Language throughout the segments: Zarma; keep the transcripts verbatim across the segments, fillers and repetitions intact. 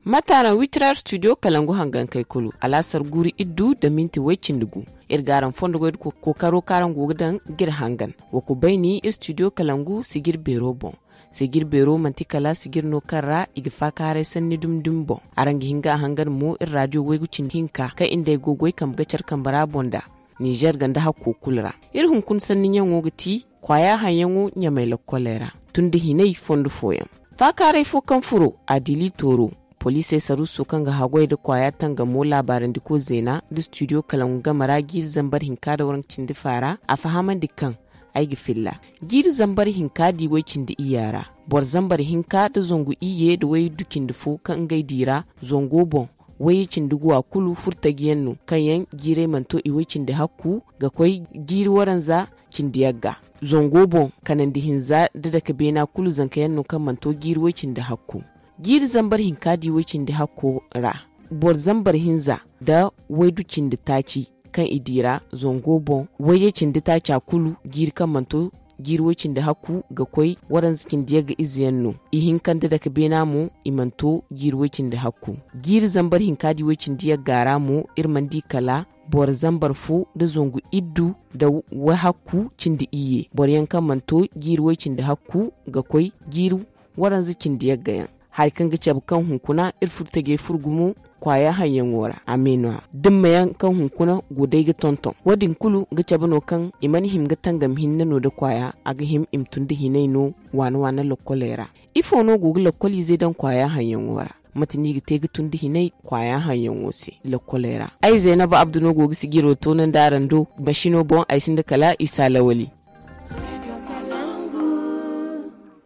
Mate araŋ witiraar studio kalangu hangankey kulu alaasar guuru iddu nda minti way-cindi gu. Iri ga araŋ fondo goy nda kookaro kaŋ araŋ go ga daŋ ga iri hangan. Wa ku bayni iri studio kalangu sijir beero boŋ. Sijir beero manti kala sijir no kaŋ ra i ga faakaaray sanni dumi dumi boŋ. Araŋ ga hin ga a hangan mo iri raadiyo waygu cindi hinka kaŋ iri nd'ey go goy kambe ga care kambe ra boŋ nd'a. Ninzeer ganda hakko kulu ra. Iri hunkuna sanni ɲaŋo ga ti kwaaya haŋyaŋo ɲamay lokkoley ra tun da hinay fondo fooyaŋ. Faakaaray fo kaŋ furo a diili tooro. Poliisey saruuso kaŋ ga haggoy nda kwaaya tangamo laabaarandiko zeena nda studio kalangu game ra jiiri zambar hinka nda waranka cindi faara a fahamandi kaŋ ay ga filla jiiri zambar hinka di way-cindi iyya ra. Boro zambar hinka nda zangu iyye nda waydu cindi fo kaŋ ngey di ra zango boŋ. Wayye cindi guwa kulu furtajiyaŋ no kaŋ yaŋ jiirey mana to i way-cindi hakku ga koy jiiri waranza cindi yagga. Zango boŋ kanandi hinza nda dake beena kulu zankayaŋ no kaŋ mana to jiiri way-cindi hakku. Jiiri zambar hinka di way-cindi hakko ra boro zambar hinza nda waydu cindi taaci kaŋ i di ra zango boŋ wayye cindi taaca kulu jiiri kaŋ mana to jiiri way-cindi hakku ga koy waranza cindi yagga ize yaŋ no. Ihinka nda dake beena mo i mana to jiiri way-cindi hakku. Jiiri zambar hinka di way-cindi yagga ra mo iri mana di kala boro zambar fo nda zangu iddu nda wahakku cindi iyye boro yaŋ kaŋ mana to jiiri way-cindi hakku ga koy jiiri waranza cindi yagga yaŋ. Hari kaŋ ga cabe kaŋ hunkuna iri furtajey fur gumo kwaaya haŋyaŋo ra a me no-ya dimma yaŋ kaŋ hunkuna go day ga tonton wo- din kulu ga cabe no kaŋ i mana hima ga tangam hinne no nda kwaaya a ga hima i ma tun nda hinay no waana waana lokkoley ra. Ifo no go ga lokkoliizey daŋ kwaaya haŋyaŋo ra? Mate no i ga te ga tun nda hinay kwaaya haŋyaŋo se lokkoley ra? Ay zeenaba abdu no go ga sijiro toonandi araŋ do. Masino boŋ ay sinda kala isa lawali.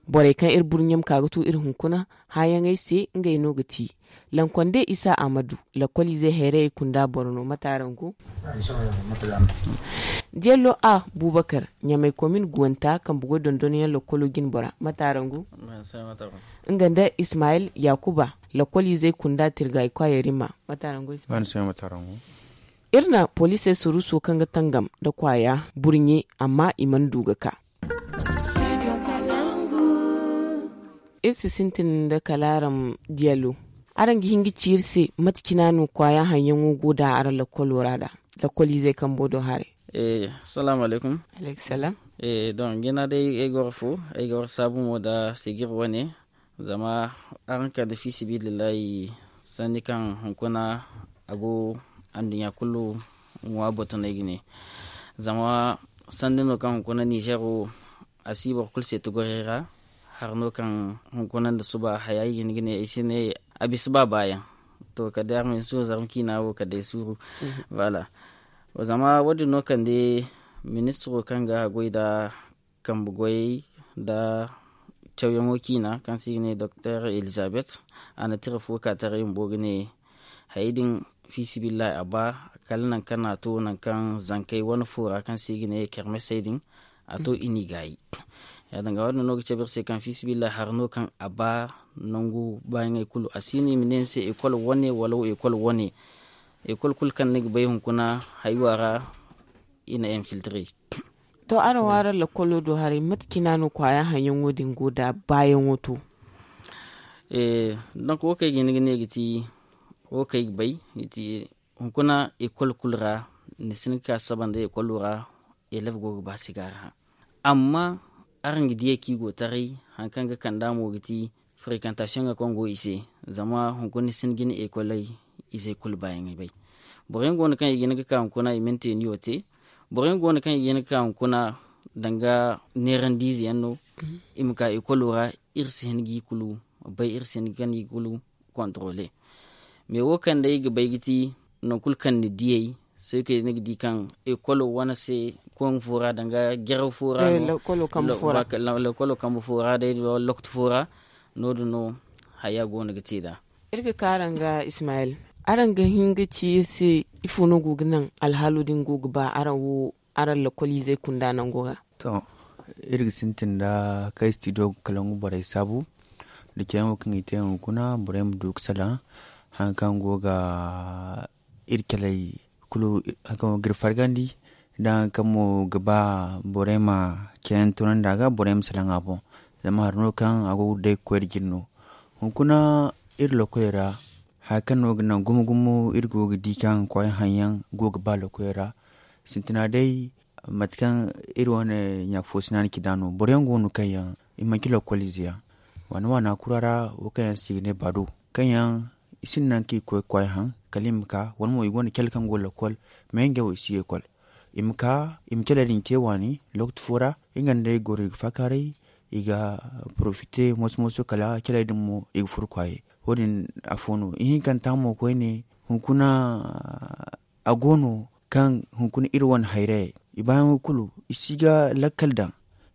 Borey kaŋ iri burɲe ma ka ga tu iri hunkuna hããyaŋey se ngey no ga ti lankonde isa ahmadu. Lakkoliizey hayrayey kunda boro no mate araŋ go? Diyallo a bubakar ɲamay komin guwanta kambe goy dondonyaŋ lakkolo jine bora mate araŋ go? Nga nda ismayil yakuba lakkoliizey kunda tirgay kwayarima mate araŋ go? Iri na poliisey suruso kaŋ ga tangam nda kwaya burɲe amma i mana du ga ka. Iri si sintin nda kala araŋ diyalo. Araŋ ga hin ga ci iri se mate cina no kwaya haŋyaŋo go da araŋ lakkolo ra da lakkoliizey kambo do haray? Salaamu alaykum. Alaykum salaam. Don jina day ay goro fo ay ga war saabu mo da sigir wane. Zama araŋ kande fi sabilillahi sanni kaŋ hunkuna a go anduɲɲa kulu ŋwa botonay ga ne. Zama sanni no kaŋ hunkuna nizeero a si boro kulu se ti goray ra. Hari no kaŋ hunkuna nda suba haya i ga hin ga ne ay si ne a bisa ba baayaŋ. To kala day araŋ ma hin suuru zarma ciina wo kala day suuru. Voilà. Zama wo- din no kande ministiro kaŋ ga goy nda kambe goyey nda cawyaŋo ciina kaŋ se i ga ne doktor elizabeth. A na tira fo ka taray bumbo ga ne hayey din fi sabilillahi a ba kala nangu kaŋ no a to nangu kaŋ zankey wane fo ra kaŋ se i ga ne kermesey din a to i n'i gaayi. Ya- din ga wo- din no ga cabe iri se kaŋ fi sabilillahi hari no kaŋ a ba nangu baayaŋey kulu a si no i ma ne ni se ekol wane wala ekol wane. Ekol kulu kaŋ ni ga bay hunkuna haywa ra i na infiltre. To araŋ wo araŋ lakkolo do haray mate cina no kwaaya haŋyaŋo din go da baayaŋo to? Donk wo kaŋ ay ga hin ga ne ga ti wo kaŋ ay ga bay ga ti hunkuna ekol kulu ra ni si hin ga ka saba nda ekolo ra. Elef go ga ba sigaari hã amma araŋ ga diyey kaŋ i go taray hari kaŋ ga kand'a mo ga ti frequentation ga kaŋ go i se. Zama hunkuna ni si hin ga ni ekoley izey kulu baayaŋey bay. Boro yaŋ go no kaŋ i ga hin ga ka hunkuna i ma ni te ni wo te. Boro yaŋ go no kaŋ i ga hin ga ka hunkuna danga neerandiize yaŋ no i ma ka ekolo ra. Iri si hin ga i kulu bay iri si hin ga ni kulu controle. Mais wo kaŋ day i ga bay ga ti nangu kulu kaŋ ni diyey sohõ kay ni ga di kaŋ ekolo wane se koŋ fo ra danga jaraw fo ra no. Lekolo kambe fo ra day loktu fo ra no- din no haya go no ga te nd'a. Iri ga ka araŋ ga ismayil, araŋ ga hin ga ci iri se ifo no go ga naŋ alhaalo din go ga ba araŋ wo araŋ lokoliizey kunda nango ga? To, iri ga sintin nda kay studio ga kalangu borey saabu nda cayyaŋo kaŋ i te hunkuna borey ma du ga salaŋ. Hari kaŋ go ga iri caley kulu hari kaŋ go ga iri fargandi nda hari kaŋ mo ga ba borey ma cayyaŋ tunandi a ga borey ma salaŋ a boŋ. Zama hari no kaŋ a go ga day ga koy nda jine no. Hunkuna Iri lokoley ra, haya kaŋ no ga naŋ gumo gumo iri go ga di kaŋ kwaayaŋ haŋ yaŋ go ga ba lokoley ra. Sintina day, mate kaŋ iri wane ɲaafo sinaani ci da no boro yaŋ go no kaŋ yaŋ i manci lokol ize yaŋ, waana waana kura ra, wo kaŋ yaŋ se i ga ne baado, kaŋ yaŋ i sinda nangu kaŋ i ga koy ga kwaayaŋ haŋ, kala i ma ka wala mo i gonda cale kaŋ go lokol, me ngey wo i si ga ekol. I ma ka, i ma caley din te waani, lokaci fo ra, nga nda i goro i ga faakaaray, i ga porofite moso moso kala caley din mo i ga furo kwaaye. Wo- din afo no ihinkanta mo koyne, hunkuna a go no kaŋ hunkuna iri wane hayrayey, i baayaŋo kulu i si ga lakkal daŋ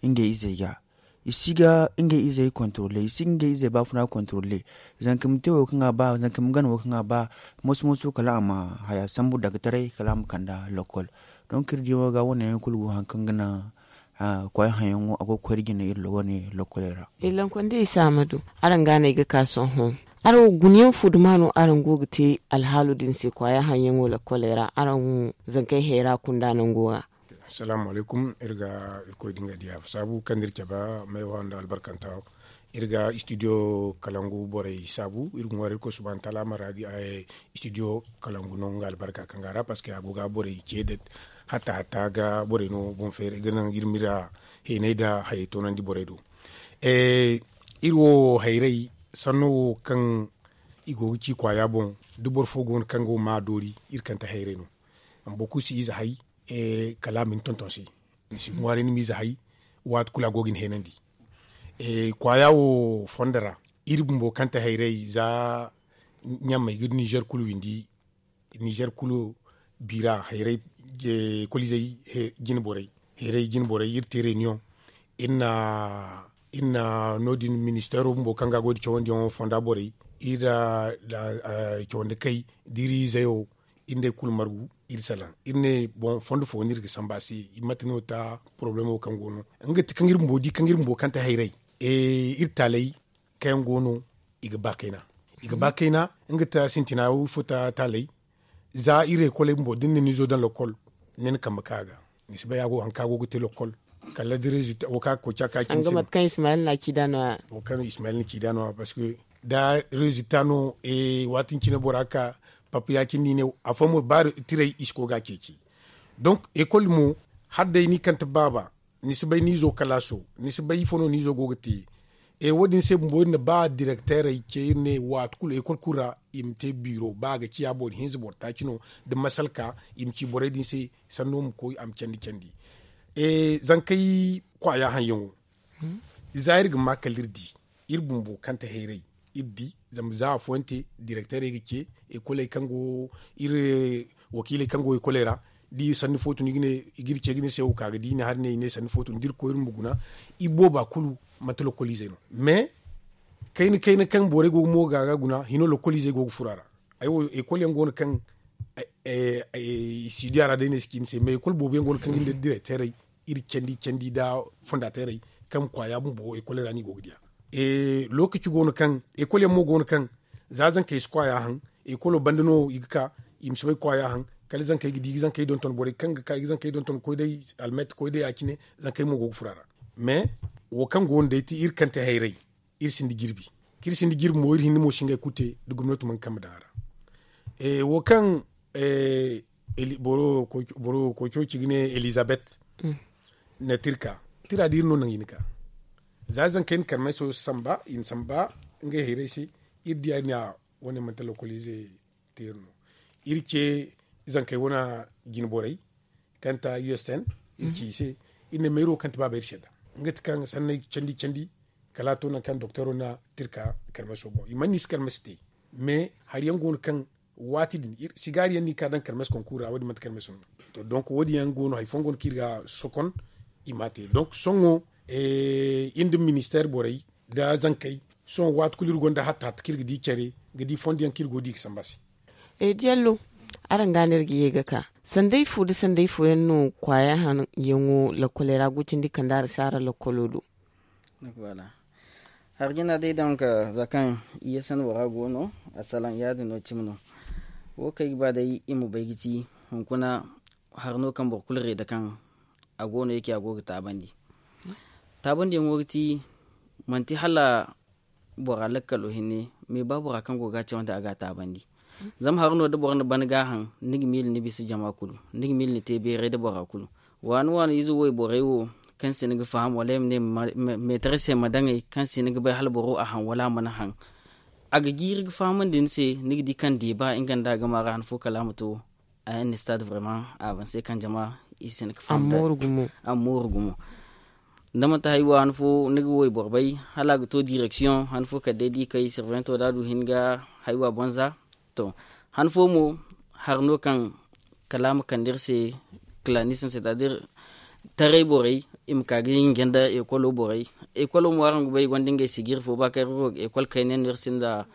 ngey izey ga. I si ga ngey izey kontrole, i si ga ngey izey baafuna kontrole. Zanka ma te wo kaŋ a ba, zanka ma gana wo kaŋ a ba, moso moso kala a ma haya sambu dagataray kala a ma kanda lokol. Donk iri diyaŋo ga wane yaŋ kulu go hari kaŋ ga naŋ kwaayaŋ haŋ yaŋo a go ga koy iri jine iri wane lokoley ra. Iri lankonda isa ma du. Araŋ ga no ay ga ka sohõ, araŋ wo guna yaŋ fu duma no araŋ go ga te alhaalo din se kwaayaŋ haŋ yaŋo lokoley ra araŋ zankey hayra kunda nango ra? Salaamu alaykum. Iri ga irkoy da nga diya saabu kaŋ da iri cabe, meewa nda albarkanta. Iri ga studio kalangu borey saabu iri ga ŋwaaray irkoy subhaanahu wataala a ma ra di studio kalangu no nga albarka kaŋ ga a ra parceque a go ga borey ce da hatta hatta ga borey no boŋ feeri ga naŋ iri ma iri heenay nda hayey toonandi borey do. Iri wo hayray sanno wo kaŋ i go ga ci kwaaya boŋ, da boro fo go no kaŋ go ma a doori iri kante hayray no. Amma boro kulu si ize hay kala a ma ni tonton se. Ni si ŋwaaray ni ma ize hay waati kulu a go ga ni heenandi. Kwaaya wo fondo ra iri bumbo kante hayray za ɲaamey ga nizer kulu windi. Nizer kulu biira hayray, kolizey jine borey, hayray jine borey iri te reniyoŋ. Iri na no- din ministeero bumbo kaŋ ga a go ga cawandiyaŋo fonda borey iri da cawandi kay da iri izeyo. Iri nd'ey kulu margu iri salaŋ iri ne boŋ fondo fo no iri ga sambu a se. Mate no ta porobalemo kaŋ go no nga ti kaŋ iri bumbo di kaŋ iri bumbo kaŋ te hayray iri taaley kaŋ yaŋ go no i ga ba kayna. I ga ba kayna nga ta sintina wo ifo ta taaley. Za iri ekoley bumbo da ni na ni zo daŋ lokol ni na kambe ka a ga. Ni si bay a go hari kaŋ a go ga te lokol kala da rezilta wo kaŋ a ga koy ca ka cine se no. Wo kaŋ ismayil na ci da no- ya parceque da rezilta no waati din cine bora ka pappa ya- cine no i ne afooyaŋ mo ba tiray i si koy ga a ceeci. Donk ekol mo hala day ni kante baaba ni si bay ni izo kalaaso ni si bay ifo no ni izo go ga te. Wo- din se bumbo iri na ba direkteerey ce iri ne waati kulu ekol kulu ra i ma te biiro ba a ga ciya boro hinza boro taaci no da masalka i ma ci borey din se sanno ma koy a ma candi candi. Zankey kwaaya haŋ yaŋo za iri ga ma kala iri di iri bumbo kaŋ te hayray iri di zama za afooyaŋ te direkteerey ga ce ekoley kaŋ go iri wakiiley kaŋ go ekoley ra da i sanni fo tun i ga iri ce ga ne iri se wo ka ga di i na hari ne i ne sanni fo tun da iri koy iri ma guna. I booba kulu manti lokoliizey no mais kayna kayna kaŋ borey go ga mo ga ga guna hino lokoliizey go ga furo a ra. Ay wo ekol yaŋ go no kaŋ studio a ra day no ay si ci ni se mais ekol boobo yaŋ go no kaŋ ga ni da direkteerey iri candi candi nda fondateerey kaŋ kwaaya bumbo ekol ra no i go ga diya. Lookaci go no kaŋ ekol yaŋ mo go no kaŋ za zankey si kwaaya haŋ ekolo banda no i ga ka i ma si bay kwaaya haŋ kala zankey ga di i ga zankey donton borey kaŋ ga ka i ga zankey donton koy day almet koy day ya- cine zankey mo go ga furo a ra. Mais wo kaŋ go no day ti iri kaŋ te hayray iri sinda jirbi kaŋ iri sinda jirbi mo iri hinne mo si ngey kulu te da gomnati mana kambe daŋ a ra. Wo kaŋ boro koy coci ga ne elizabeth na tirka tira da iri no naŋ i na ka za zankey na karmeso samba i na samba ngey hayray se. Iri diya iri ne a wane manti lokoliize te iri no iri ce zankey wane jine borey kaŋ ta usn iri ci i se iri ne mayro kaŋ ti baaba iri se da nga ti kaŋ sanney candi candi kala a to nangu kaŋ dokteero na tirka karmeso boŋ i mana ni si karmesi te mais hari yaŋ go no kaŋ waati din sigaari yaŋ no i ka daŋ karmesi konkura wo- din manti karmesi no. To donk wo- din yaŋ go no hari fooyaŋ go no kaŋ iri ga sokon i ma a te donk sohõ iri nda ministeer borey nda zankey sohõ waati kulu iri gonda hatta hatta kaŋ iri ga di care ga di fondo yaŋ kaŋ iri go ga di ga samba se. Diallo, araŋ ga no iri ga ye ga ka sanday fo nda sanday fooyaŋ no kwaaya haŋ yaŋo lakoley ra go cindi kand'a ra si araŋ lakolo do? Hari jina day donk za kaŋ i ye sanda bora go no a salaŋ ya- din no cimi no. Wo kaŋ ay ga ba day i ma bay ga ci hunkuna hari no kaŋ boro kulu reeda kaŋ a go no ya- ce a go ga taabandi. Taabandiyaŋo ga ti manti hala bora lakkalo hinne. Mais ba bora kaŋ go ga a cawandi a ga a taabandi. Zama hari no da boro na ban ga a haŋ, ni ga miila ni bisa jama kulu, ni ga miila ni te beeray da bora kulu. Waani waani ize wayborey wo, kaŋ se ni ga faham wala ay ma ne meetar se ma daŋ ay, kaŋ se ni ga bay hala boro a haŋ wala a mana haŋ. A ga jiiri ga fahamandi ni se, ni ga di kaŋ deeba nga nda a gama ra han fo kala a ma to a yaŋ ni stade vraiment a ban se kaŋ jama i se ni ga faham da a ma mooru gumo. Da manti hari wo han fo ni ga wayboro bay, hala a ga to direksiyoŋ han fo kala day da i kay sirvento da a du hin ga hari wo a banza. To, han fo mo hari no kaŋ kala a ma kande iri se, kalanism c'est à dire taray borey, i ma ka ga hinja nda ekolo borey. Ekolo mo araŋ ga bay i gonda ngey sijiri fo ba kaŋ iri go ga ekol kayna yaŋ no iri sinda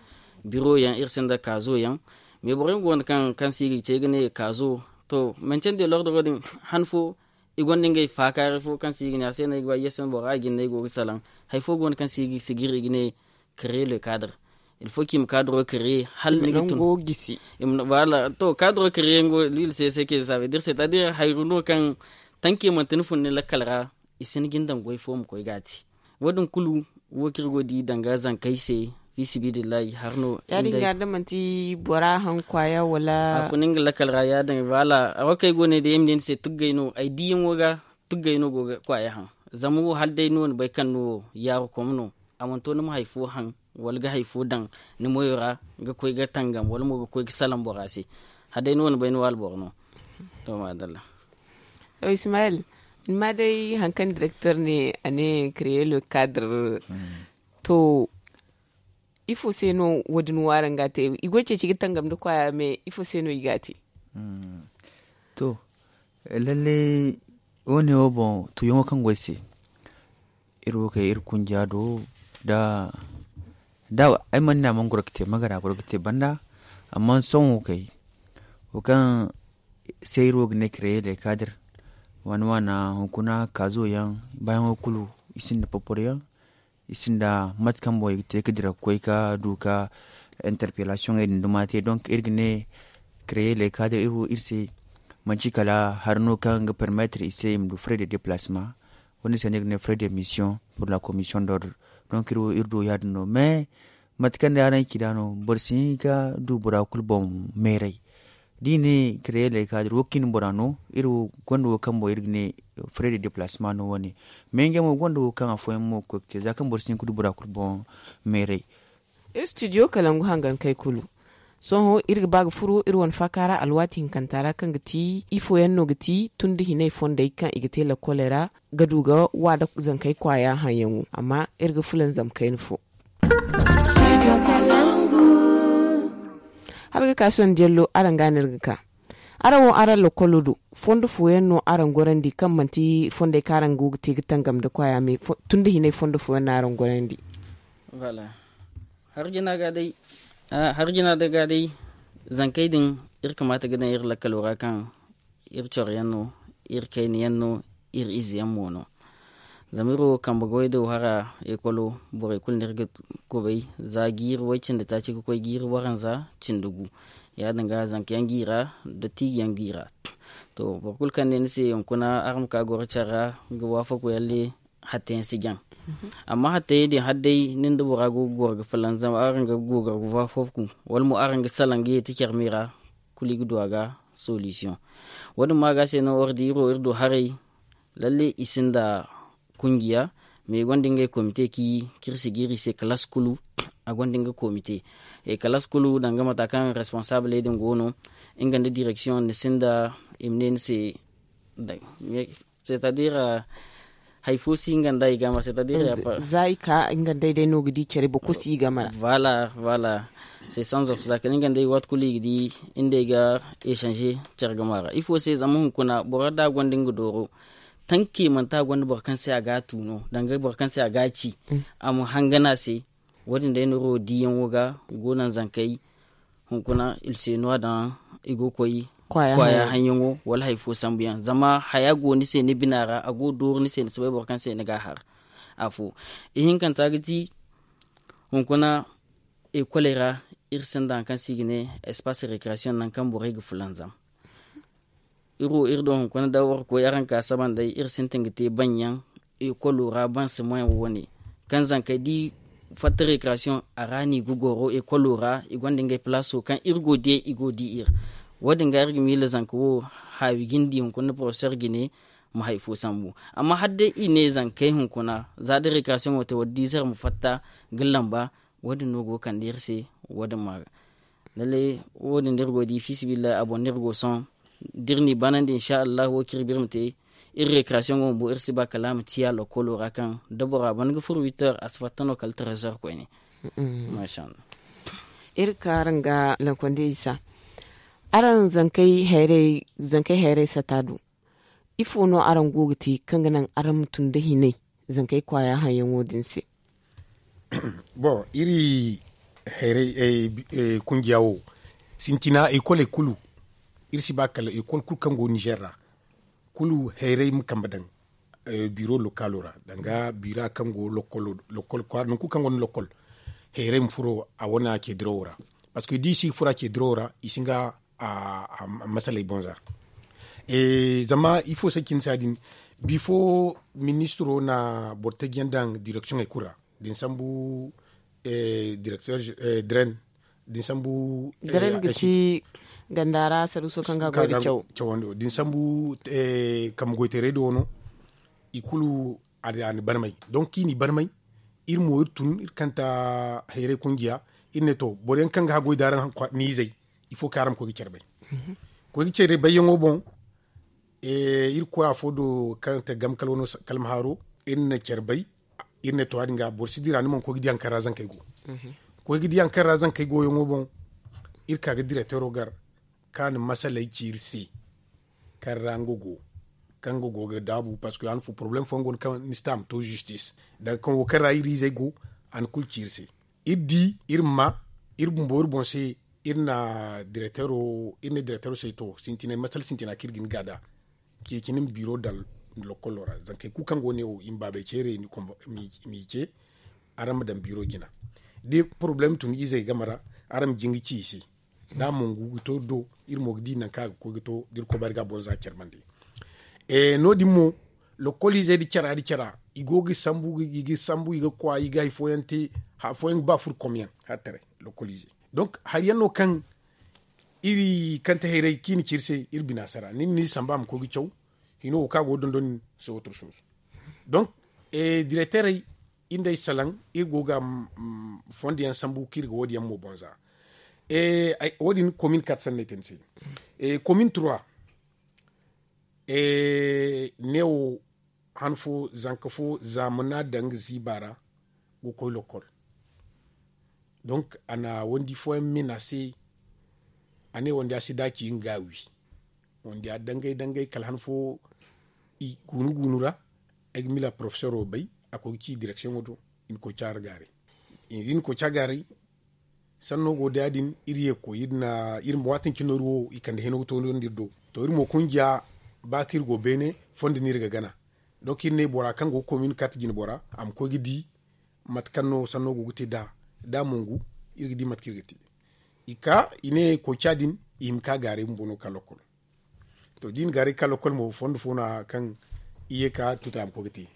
biro yaŋ, iri sinda kaazo yaŋ. Mais borey mo go no kaŋ se i ga ce i ga ne kaazo. To, mancen de lordoro din, han fo i gonda ngey faakaaray fo kaŋ se i ga ne a se no ay ga ba ay ga sanda bora a jinde ay go ga salaŋ. Hari fo go no kaŋ se i ga sijiri i ga ne créer le cadre. Il faut kaŋ i ma cadro créer hala ni ga tun. Voilà, to, cadro créer ngo lil se se ke sabe dir c'est à dire hayru no kaŋ tanke manti ni fun ni lakkal ra, i si ni ga ni daŋ goy fo ma koy ga a te. Wo- din kulu wo kaŋ iri go ga di danga zankey se, fi sibidillahi har no. Ya- din ga da manti bora haŋ kwaaya wala a fun nga lakkal ra ya- din voilà. A wo kaŋ ay go ne day ay ma ne ni se tuggay no ay diyaŋo ga, tuggay no go ga kwaaya haŋ. Zama wo hala day no ni bay kaŋ no yaaru kom no, a mana to ni ma hari fo haŋ wala ga hari fo daŋ ni moyo ra ga koy ga tangam wala mo ga koy ga salaŋ bora se. Hala day no ni bay ni waala boro no. To, madalla. To, ismail, ni ma day hari kaŋ directeur ne a ne créer le cadre. To, ifo se no wo- din wo araŋ ga a te? I go ga ceeci ga tangam nda kwaaya mais ifo se no i ga a te? To, lalle, wo- ne wo boŋ tuuyaŋo kaŋ go ay se, iri wo kay iri kunja do da da ay mana ne a mana goro ga te magara goro ga te banda. Amma sohõ wo kay wo kaŋ se iri wo ga ne créer le cadre, waana waana hunkuna kaazo yaŋ, baayaŋo kulu i sinda poporo yaŋ, i sinda mate kaŋ boŋ i ga te ga dira ga koy ga du ga interpellation ŋey din duma te. Donc iri ga ne créer le cadre iri wo iri se manci kala hari no kaŋ ga permettre i se i ma du frais de déplacement. Wo- din se no iri ga ne frais de mission pour la commission d'ordre. Donc iri wo iri du ya- din no mais mate kaŋ day araŋ ci nd'a no boro si hin ga du bora kulu boŋ meeray. Da i ne créer le cadre wo ga cindi bora no iri gonda wo kaŋ boŋ iri ga ne frais de déplacement no wo- ne. Mais ngey mo gonda wo kaŋ afooyaŋ mo ga koy ga te za kaŋ boro si hin ga du bora kulu boŋ meeray. Iri studio kalangu hangankey kulu. Sohõ iri ga ba ga furo iri wane faaka ra alwaati hinkanta ra kaŋ ga ti ifo yaŋ no ga ti tun da hinay fondey kaŋ i ga te lakkoley ra ga du ga wa da zankey kwaaya haŋyaŋo. Amma iri ga fulanzam kayna fo. Hala ga ka sohõ da yallo araŋ ga no iri ga ka. Araŋ wo araŋ lakkolo do fondo fooyaŋ no araŋ gorandi kaŋ manti fondey kaŋ araŋ go ga te ga tangam nda kwaaya me tun da hinay fondo fooyaŋ no araŋ gorandi? Hari jina ga day zankey din iri kamaata ga daŋ iri lakkalo ra kaŋ iri coro yaŋ no, iri kayna yaŋ no, iri ize yaŋ mo no. Zama iri wo kambe goy do hara ekolo borey kulu no iri ga kubay za jiiri way cindi taaci ga koy jiiri waranza cindi gu. Ya- din ga zanka yaŋ jiira da tiiji yaŋ jiira. To, boro kulu kaŋ ne ni se hunkuna araŋ ma ka goro care ra ga waafaku yalle hatta yaŋ si jaŋ. Amma hatta yaŋ din hala day nin da bora go ga goro ga fulanzam araŋ ga go ga waafaku wala mo araŋ ga salaŋ ga yeeti care me ra, kulu i ga du a ga solution. Wo- din ma ga se no iri di iri wo iri du haray. Lalle i sinda kungiya, mais i gonda ngey komite kaŋ iri si jiiri i se kalaas kulu. A gonda nga komite kalaas kulu danga mata kaŋ responsabley din go no. Nga nda direksiyoŋ ni sinda i ma ne ni se c'est à dire hari fo si nga nda i game ra c'est à dire za i ka nga nda ay day no ga di care boro kulu si i game ra. Voilà, voilà. C'est sans obstacle nga nda ay waati kulu i ga di nga nda ay ga échanger care game ra ifo se zama hunkuna boro da a gonda nga dooro tanke manti a gonda boro kaŋ se a ga a tu no danga boro kaŋ se a ga a ci a ma hangan a se. Wo- din day no iri wo diiyaŋo ga go naŋ zankey hunkuna ilseno a daŋ i go ga koy kwaaya haŋyaŋo wala hari fo sambu yaŋ zama haya go ni se ni bina ra a go ga dooru ni se ni si bay boro kaŋ se ni ga a har. Afo ihinkanta ga ti hunkuna ekoley ra iri sinda hari kaŋ se i ga ne espace récréation nangu kaŋ borey ga fulanzam. Iri wo iri do hunkuna da warkoy araŋ ka saban day iri sintin ga te baŋ yaŋ ekolo ra baŋ si maŋ wane kaŋ zankey di fatta rekrasiyoŋ a ra no i ga goro ekolo ra i gonda ngey palaaso kaŋ iri go ga di iri wo- din ga iri ga miila zanka wo haawi ga ni di hunkuna nda porofesor ga ne ma hari fo sambu. Amma hala day i ne zankey hunkuna za da rekrasiyoŋo te wala diizer ma fatta ga lamba. Wo- din no go ga kande iri se. Wo- din ma ga lallai wo- din da iri go ga di fiisabilillahi a boŋ no iri go ga sohõ da iri n'i banandi insa allahu wo kaŋ iri ba iri ma te iri rekrasiyoŋo bumbo iri si ba kala a ma ciya lokolo ra kaŋ da bora ban ga furo wittor a si fatta no kala trezer koyne. Iri ga ka araŋ ga lankonde isa. Araŋ zankey hayray sata do ifo no araŋ go ga te kaŋ ga naŋ araŋ ma tun nda hinay zankey kwaaya haŋyaŋo din se? Bon, iri hayray kungiya wo sintina ekoley kulu. Iri si ba kala ekol kulu kaŋ go nizer ra kulu hayray ma kambe daŋ biro lokalo ra danga bira kaŋ go lokol kwaara nangu kulu kaŋ gonda lokol hayray ma furo a wane a ce dirawo ra. Parceque da i si ga furo a ce dirawo ra i si nga a masaley boŋ za. Zama ifo se cine se ya- din bifo ministiro na boro taji yaŋ daŋ direksiyoŋey kulu ra da ni sambu direkter dren da ni sambu dren ga ci ganda ra saruuso kaŋ ga a goy nda cawandi wo da ni sambu kambe goyteerey do wano i kulu a na barmay. Donk kaŋ i n'i barmay iri mo iri tun iri kanta hayray kungiya iri ne to boro yaŋ kaŋ ga haggoy da araŋ ni izey ifo kaŋ araŋ ma koy ga care bay. Koy ga care bayyaŋo boŋ iri koy afo do kaŋ te gam kala wano kalma haaro iri na care bay. Iri ne to ya- din ga boro si dira ni mana koy ga di hari kaŋ ra zankey go. Koy ga di hari kaŋ ra zankey go yaŋo boŋ iri ka ga direktero gar kaŋ a na masaley ci iri se kaŋ ra nga go kaŋ nga go ga daabu parceque han fo poroblem fooyaŋ go no kaŋ ni si te a ma to zistis danga kaŋ wo kaŋ ra iri izey go a na kulu ci iri se. Iri di iri ma iri bumbo iri boŋ se iri na direktero iri ne direktero se to sintinay masala sintina kaŋ iri ga ni ga nd'a ceeci ni ma biro daŋ lokolo ra zankey kulu kaŋ go ne wo i ma baabey ceerey m'i ce araŋ ma daŋ biro jina da poroblem tun izey game ra araŋ ma jin ga ci i se da a mongu ga to do iri mo ga di nangu kaŋ a ga koy ga to da iri koy ba iri ga a boŋ za care bande. No- din mo lokol izey nda cara nda cara i go ga sambu i ga sambu i ga kwa i ga hari fooyaŋ te hari fooyaŋ ga ba furkom yaŋ hari taray lokol izey donk hari yaŋ no kaŋ iri kante hayray kaŋ i na ci iri se iri bina sara nin no iri samba a ma koy ga caw hino wo kaŋ a go ga dondon nin se wotoro suusu. Donk direkterey iri nda ay salaŋ iri go ga fondo yaŋ sambu kaŋ iri ga wo- din yaŋ mo boŋ za. Wo- din komin kat sanno ay te ni se komin trois neewo han fo zanka fo zaamana daŋ ga ziiba ra ga koy lokol. Donk a na wandi fooyaŋ min a se a ne wandi a si daaci nga ga a wi wandi a dangay dangay kala han fo i guunu guunu ra ay ga mila porofesoro bay a koy ga ci direksiyoŋo do i na koy caara gaaray. I na koy caara gaaray sanno go da ya- din iri ye ga koy iri na iri ma waati nci no iri wo i kande hino ga toonandi iri do. To iri mo kungiya ba kaŋ iri go beene fondo no iri ga gana. Donk iri ne bora kaŋ go ga koy ma iri kaati jine bora a ma koy ga di mate kaŋ no sanno go ga te nd'a da a mongu iri ga di mate kaŋ iri ga te. I ka i ne koy ca din i hima ka gaaray bumbo no ga ka lokol. To da i na gaaray ga ka lokol mo fondo fo no a kaŋ i ye ka tuta a ma koy ga te.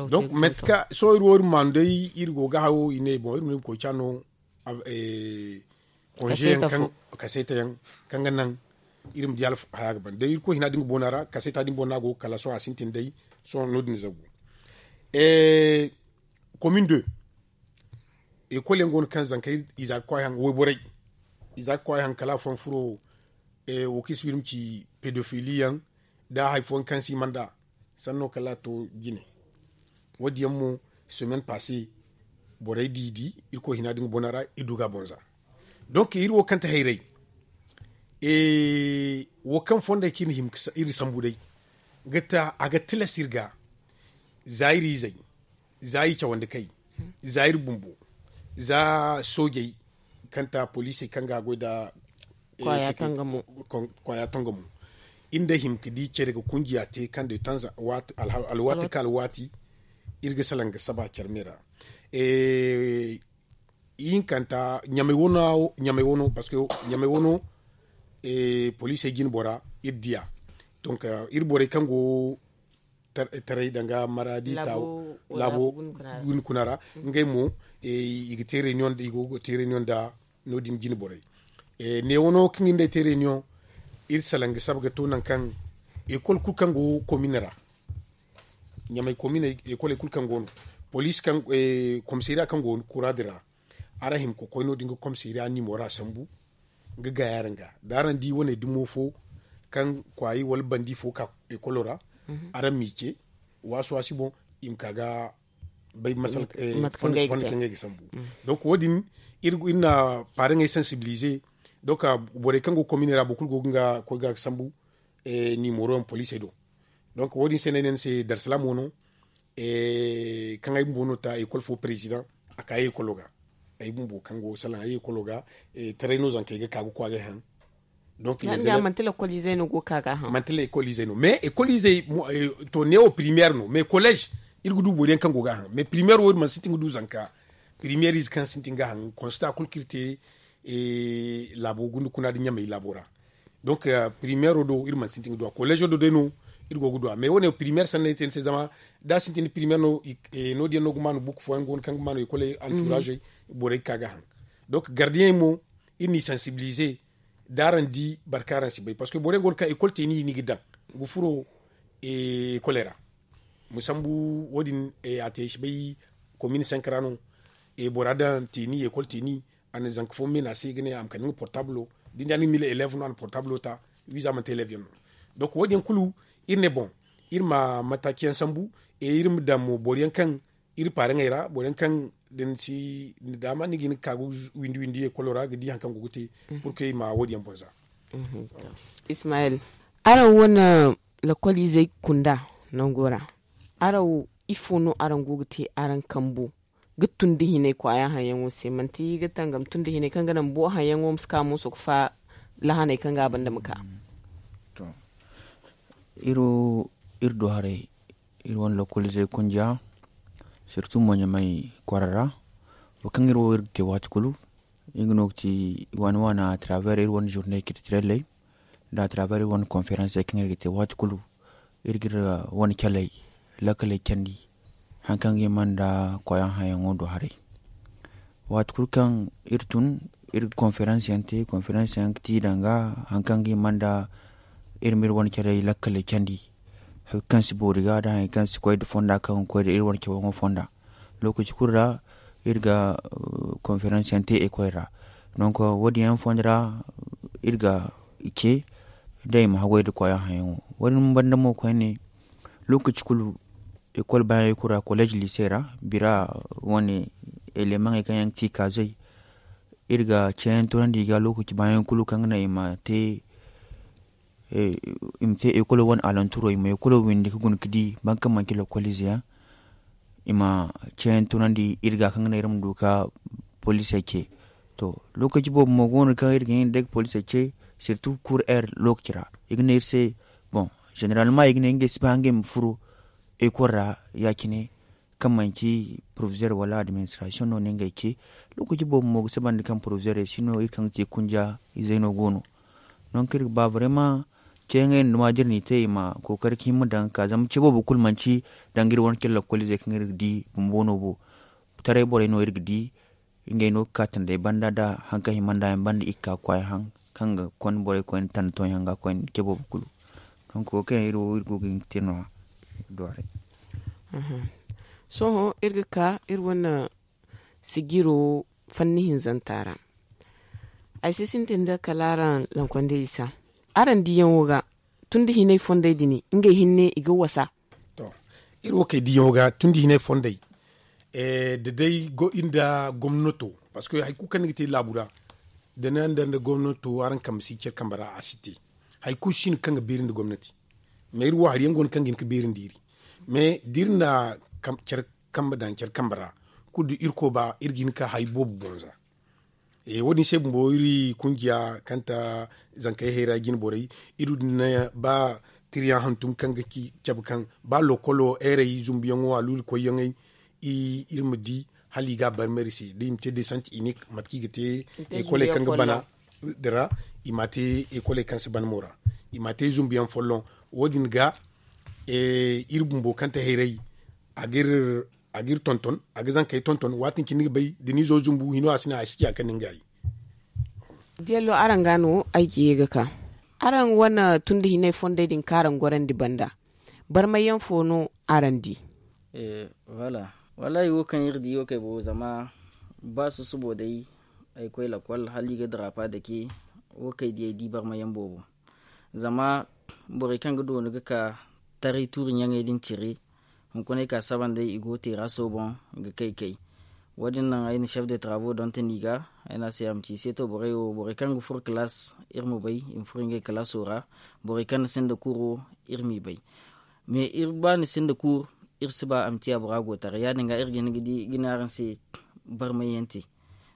Donk mate kaŋ sohõ iri wo iri ma maanu day iri go ga hawo i ne boŋ iri ma ne koy ca no konze yaŋ kaŋ kaseeta yaŋ kaŋ ga naŋ iri ma di haya ga ban day irkoy hina da nga boona ra kaseeta da nga boona go kala sohõ a sintin day. Sohõ no- din zagu komin de ekol yaŋ go no kaŋ zankey i za ga kwaay haŋ wayborey i za ga kwaay haŋ kala afooyaŋ furo wo kaŋ i si ba iri ma ci pedofili yaŋ da hari fooyaŋ kaŋ se i mana nd'a sanno kala a to jine. Wo- din yaŋ mo semaine passe borey di i di irkoy hina da nga boona ra i du ga a boŋ za. Donk iri wo kaŋ te hayray wo kaŋ fondey kaŋ iri sambu day a ga tilas iri ga za iri izey za iri cawandi kay za iri bumbo za soojey kaŋ ta poliisey kaŋ ga a goy nda kwaaya tangamo iri nda hima ga di care ga kungiya te kaŋ day tanza alwaati ka alwaati iri ga salaŋ ga saba care me ra. Ihinkanta ɲamey wano parceque ɲamey wano poliisey jine bora iri diya. Donk iri borey kaŋ go taray danga maradi tawo laabo guni kuna ra. Ngey mo i ga te reunion nda no- din jine borey. Neewo no kaŋ ga nda ay te reunion, iri salaŋ ga saba ga to nangu kaŋ ekol kulu kaŋ go komine ra, ɲamay komine ekoley kulu kaŋ go no, poliisi kaŋ komisariya kaŋ go kura din ra, araŋ hima ga koy no- din ga komisariya niimo ra sambu ga gaayi araŋ ga da araŋ di wane dumo fo kaŋ kwaayi wala bandi fo ka ekolo ra, araŋ m'i ce waasi waasi boŋ i ma ka ga bay masala. Fonda kaŋ ga ay ga sambu. Donc wo- din iri na paaraŋey sansibilize. Donc borey kaŋ go komine ra boro kulu go ga nga koy ga ga sambu niimoro yaŋ poliisey do. Donc wo- din se no ay ne ni se darsalaamo no. Kaŋ ay bumbo no ta ekol fo perezidaŋ a ka ay ekolo ga. Ay bumbo kaŋ go salaŋ ay ekolo ga taray no zankey ga ka ga kwaagay haŋ. Donc manti lekol izey no go ga ka ga haŋ manti lekol izey no mais ekol izey to neewo primeer no mais koleez iri ga du boro yaŋ kaŋ go ga haŋ mais primeer wo iri mana sintin ga du zanka. Primeer ize kaŋ sintin ga haŋ konsta kulu kaŋ iri te laabo gunde kuna nda ɲamay laabo ra. Donc primeero do iri mana sintin ga du a koleezo do day no iri go ga du a mais wo- ne primeer sanna ay te ni se zama da a sintin primeer no no- din yaŋ no ga maanu bukku fooyaŋ go no kaŋ ga maanu ekoley anturaazey borey ga ka ga haŋ. Donc gardiyeŋey mo iri n'i sansibilize da araŋ di boro kaŋ araŋ si bay parceque boro yaŋ go no kaŋ ekol te ni i ni ga daŋ ga furo ekoley ra. Ma sambu wo- din a te ay si bay komin sanka ra no. Bora daŋ te ni ekol te ni a na zanka fo meena se ga ne a ma kande nga portablo da ni da ni mila eleev no a na portablo ta. Wiiza manti eleev yaŋ no. Donc wo- din yaŋ kulu iri ne boŋ iri ma mataaci yaŋ sambu iri ma daŋ mo boro yaŋ kaŋ iri paaraŋey ra boro yaŋ kaŋ da ni si ni daama ni ga hin ga ka ga windi windi ekolo ra ga di hari kaŋ go ga te. Purke i ma wo- din yaŋ boŋ za. Ismayel, araŋ wane lakol izey kunda nango ra, araŋ wo ifo no araŋ go ga te araŋ kambo ga tun da hinay kwaayaŋ haŋ yaŋo se manti ga tangam tun da hinay kaŋ ga naŋ bo haŋ yaŋo ma si ka mooso ga fa lahaney kaŋ ga a banda ma ka? Iri wo iri du haray iri wane lokol izey kunja sirtu mo ɲamay kwara ra. Wo kaŋ iri wo iri ga te waati kulu iri ga no ga te waani waani a taraver iri wane zurne kiltirelley nda a taraver iri wane konferensey kaŋ iri ga te waati kulu iri ga iri wane caley lakkaley candi. Hari kaŋ ga hima nda kwaayaŋ hayaŋo do haray waati kulu kaŋ iri tun iri ga konferans yaŋ te konferans yaŋ ga ti danga hari kaŋ ga hima nda iri ma iri wane care lakkaley candi. Hari kaŋ si boori ga da hari kaŋ si koy nda fonda kaŋ ga koy nda iri wane cawaŋo fonda. Lookaci kulu ra iri ga konferans yaŋ te ekoy ra. Donk wo- din yaŋ fonda ra iri ga ce da i ma haggoy nda kwaayaŋ hayaŋo wo- din banda mo koyne. Lookaci kulu ekol baayaŋ kulu ra koleez liise ra bira wane elemaŋey kaŋ yaŋ ga ti kaazey iri ga ceeyaŋ tunandi i ga lookaci baayaŋ kulu kaŋ ga naŋ i ma te i ma te ekolo wane alanturo i ma ekolo windi ga guna ga di boro kaŋ manci lokol ize yaŋ. I ma ceeyaŋ tunandi iri ga kaŋ ga naŋ iri ma du ga poliisey ce. To lookaci boobo mo go no kaŋ iri ga hin ga day ga poliisey ce sirtu kur er lookaci ra i ga ne iri se. Boŋ zeneralma i ga ne ngey si ba ngey ma furo ekol ra ya- cine kaŋ manci porofizeer wala administrasiyoŋ no no ngey ce. Lookaci boobo mo ga saba nda kaŋ porofizeerey si no iri kaŋ ga te kunja izey no go no. Donk iri ga ba barema ceeyaŋey nda dumadi iri n'i te i ma kookari ga hima daŋ ga ka zama ce boobo kulu manci danga iri wane cire lokol izey kaŋ iri ga di bumbo no bo. Taray borey no iri ga di ngey no ga ka tandey banda nda hari kaŋ hima nda yaŋ banda i ga ka ga kwaay haŋ kaŋ ga konda borey koyne tanda tooyaŋ ga koyne ce boobo kulu. Donk wo kaŋ yaŋ iri wo iri go ga hin ga te no- ya. Sohõ iri ga ka iri wane sijiro fanni hinzanta ra. Ay si sintin da kala araŋ lankondey isa araŋ diyaŋo ga tun da hinay fondey din ngey hinne i ga wasa. To iri wo kay diyaŋo ga tun da hinay fondey da day iri nda gomnato parceque hari kulu kaŋ ni ga te laabu ra da ni nda gomnato araŋ kambe si care kambe ra a si te. Hari kulu si no kaŋ ga beeri nda gomnati. Mais iri wo hari yaŋ go no kaŋ ga hin ga beeri nda iri mais da iri na care kambe daŋ care kambe ra kulu da irkoy ba iri ga hin ga ka hari boobo boŋ za. Wo- din se bumbo iri kungiya kaŋ ta zankey hayra jine borey iri du na ba tiriyaŋ hantum kaŋ ga ci cabe kaŋ ba lokolo heerey zumbuyaŋo aluuli koyyaŋey iri ma di hala i ga a barmay iri se da i ma te desant inik mate kaŋ i ga te ekoley kaŋ ga bana din ra. I m'a te ekoley kaŋ si ban mo ra i m'a te zumbuyaŋ folloŋ. Wo- din ga iri bumbo kaŋ ta hayray a ga iri A ga iri tonton, a ga zankey tonton, waati din cine ni ga bay da ni zo zumbu hino a si naŋ a si ciya kaŋ ni ga ay. Diya lo araŋ ga no ay ga ye ga ka. Araŋ wane tun da hinay fondey din kaŋ araŋ gorandi banda, barmay yaŋ fo no araŋ di? Wallaahi wo kaŋ iri di wo kay boobo zama ba susubo day ay koy lakwal hala i ga daraapa dake. Wo kay di ay di barmay yaŋ boobo zama borey kaŋ ga doonu ga ka taray tuuri ɲaŋey din cire. Hunkuna ay ka saba nd'ey i go teera sooboŋ ga kay kay. Wo- din naŋ ay na chef de travaux donton i ga ay ne a se a ma ci i se to borey wo borey kaŋ ga furo kalaas iri ma bay i ma furo ngey kalaaso ra. Borey kaŋ na sinda kuuro iri m'i bay. Mais iri ba ni sinda kuur iri si ba a ma ciya bora go taray ya- din ga iri ga hin ga di ga ne araŋ se barmay yaŋ te.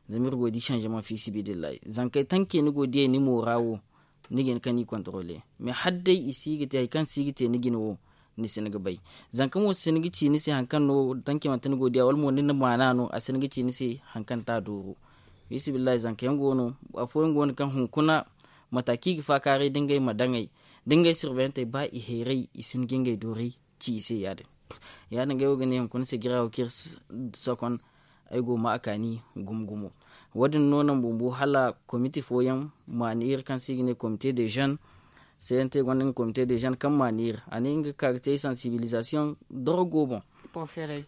Zama iri go ga di sanzemaŋ fiisabilillahi zankey tanke ni go ga diyey ni moora wo. Ni ga hin kaŋ ni kontorole mais hala day i si ga te hari kaŋ si ga te ni jine wo. Ni si ni ga bay zanka mo si ni ga ci ni se hari kaŋ no tanke manti ni go ga diya wala mo ni na maana no a si ni ga ci ni se. Hari kaŋ te a dooru fiisabilillahi zanka yaŋ go no. Afooyaŋ go no kaŋ hunkuna mata kaŋ i ga faakaaray da ngey ma daŋey da ngey sirbeyantey ba i hayray i si ni ga ngey dooray ci i se ya- din. Ya- din ga ay wo ga ne hunkuna se jira wo kaŋ iri si sokon ay go ga ma a kaani gumo gumo. Wo- din no naŋ bumbo hala komite fooyaŋ maani iri kaŋ se i ga ne komite de jeune. Seedante gonda nga komite de jeune kaŋ maani iri a ne nga ga ka ga te sansibilisasiyoŋ dorogo boŋ.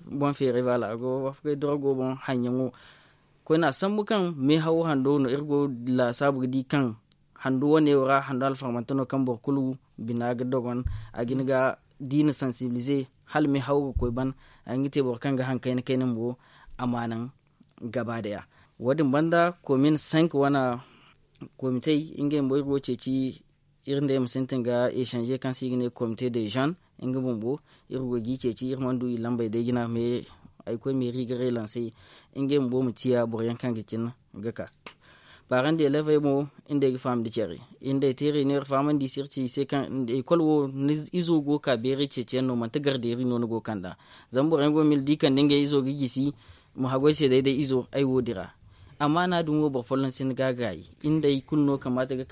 Boŋ feeray baala a go ga wafakay dorogo boŋ haŋyaŋo. Koyne a sambu kaŋ meehawo hando no iri go ga laasaabu ga di kaŋ hando wane wo ra hando alfarmante no kaŋ boro kulu bina ga dogon. A ga hin ga da i na sansibilize hala meehawo ga koy ban a ga hin ga te boro kaŋ ga haŋ kayna kayna bumbo. A ma naŋ gaba daya. Wo- din banda komin sank wane komitey ngey bumbo iri go ga ceeci iri nd'ey ma sintin ga esanze kaŋ se i ga ne komite de jeune. Nga bumbo iri go ga i ceeci iri mana du i lambey day jina mais ay koy meeri ga reelansey ngey bumbo ma ciya boro yaŋ kaŋ ga cin ga ka. Paaraŋ da elevey mo nd'ey ga faham nda care. Nd'ey teerey no iri fahamandi i se iri ci i se kaŋ ekol wo ni izo go ga ka beeray ceeciyaŋ no manti gardeeri no ni go ga kand'a. Zama boro yaŋ go ga mila da i kande ngey izo ga gisi ma haggoy se day day izo ay wo dira. Amma no a din wo boro folloŋ sinda ga a gaayi. Nd'ey kulu no kamaata ga